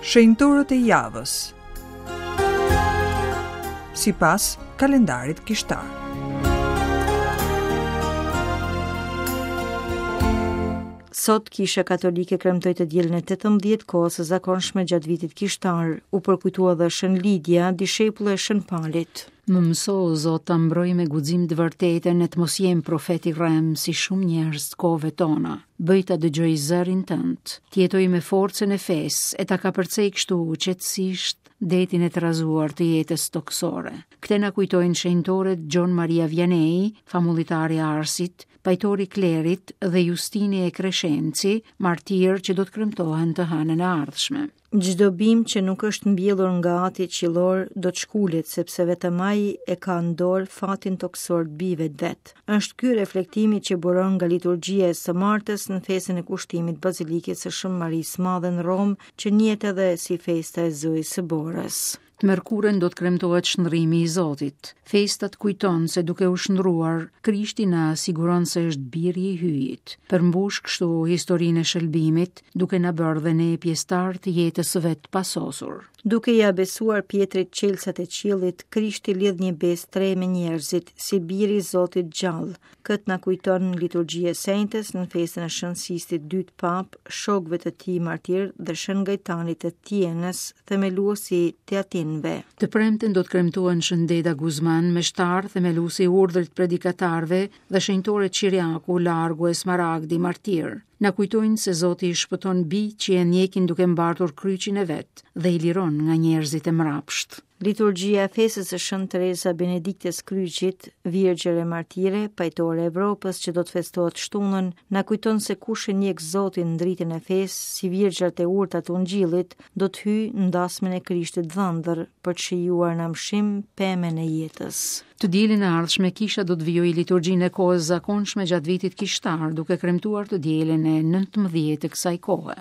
Shenjtorët e javës. Sipas kalendarit kishtar. Sot Kisha Katolike kremtoi të dielën e 18 kohës së zakonshme gjatë vitit kishtar. U përkujtua dhe Shën Lidia, dishepulle e Shën Palit. Më mëso, o Zot, ta mbroj me guxim të vërtetën e të mos jem profet i rremë si shumë njerëz të kohëve tona. Bëj ta dëgjoj zërin tënd, të jetoj me forcën e fesë e ta kapërcej kështu qetësisht detin e trazuar të jetës tokësore. Këtë na kujtojnë shenjtorët Gjon Maria Vianney, famullitari i Arsit, pajtori i klerit dhe Justini e Kreshenci, martirë që do të kremtohen të hënën e ardhshme. Çdo bimë që nuk është mbjellur nga Ati qiellor do të shkulet, sepse vetëm Ai e ka në dorë fatin tokësor të bijve të vet. Është ky reflektimi që buron nga liturgjia e së martës në festën e kushtimit Bazilikës së Shën Marisë së Madhe në Romë, që njihet edhe si festa e Zojës së Borës. Të mërkurën do të kremtohet shndërrimi i Zotit. Festa të kujton se duke u shndërruar, Krishti na siguron se është biri i Hyjit. Përmbush kështu historinë e shëlbimit, duke na bërë dhe ne pjesëtarë të jetës së vet të pasosur. Duke ia besuar Pjetrit çelësat e qiellit, Krishti lidh një besë të re me njerëzit, si biri i Zotit të gjallë. Këtë na kujton liturgjia e së enjtes në festën e Shën Sistit të Dytë Papë, shokëve të tij martirë dhe Shën Gajtanit të Tienës, themelues i Teatinëve. Të premten do të kremtohen Shën Deda Guzman, meshtar, themelues i urdhrit të predikatarëve dhe shenjtorët Qiriaku, Largu e Smaragdi, martirë. Na kujtojnë se Zoti i shpëton bijtë që e ndjekin duke mbartur kryqin e vet dhe i liron nga njerëzit e mbrapshtë. Liturgjia e festës së Shën Tereza Benediktës Kryqit, Virgjër e Martire, Pajtore e Evropës që do të festohet të shtunën, na kujton se kush e ndjek Zotin në dritën e fesë, si virgjërat e urta të Ungjillit, do të hyjë në dasmën e Krishtit dhëndër, për të shijuar në amshim pemën e jetës. Të dielën e ardhshme kisha do të vijojë liturgjinë e kohës zakonshme gjatë vitit kishtar, duke kremtuar të dielën e 19 të kësaj kohe.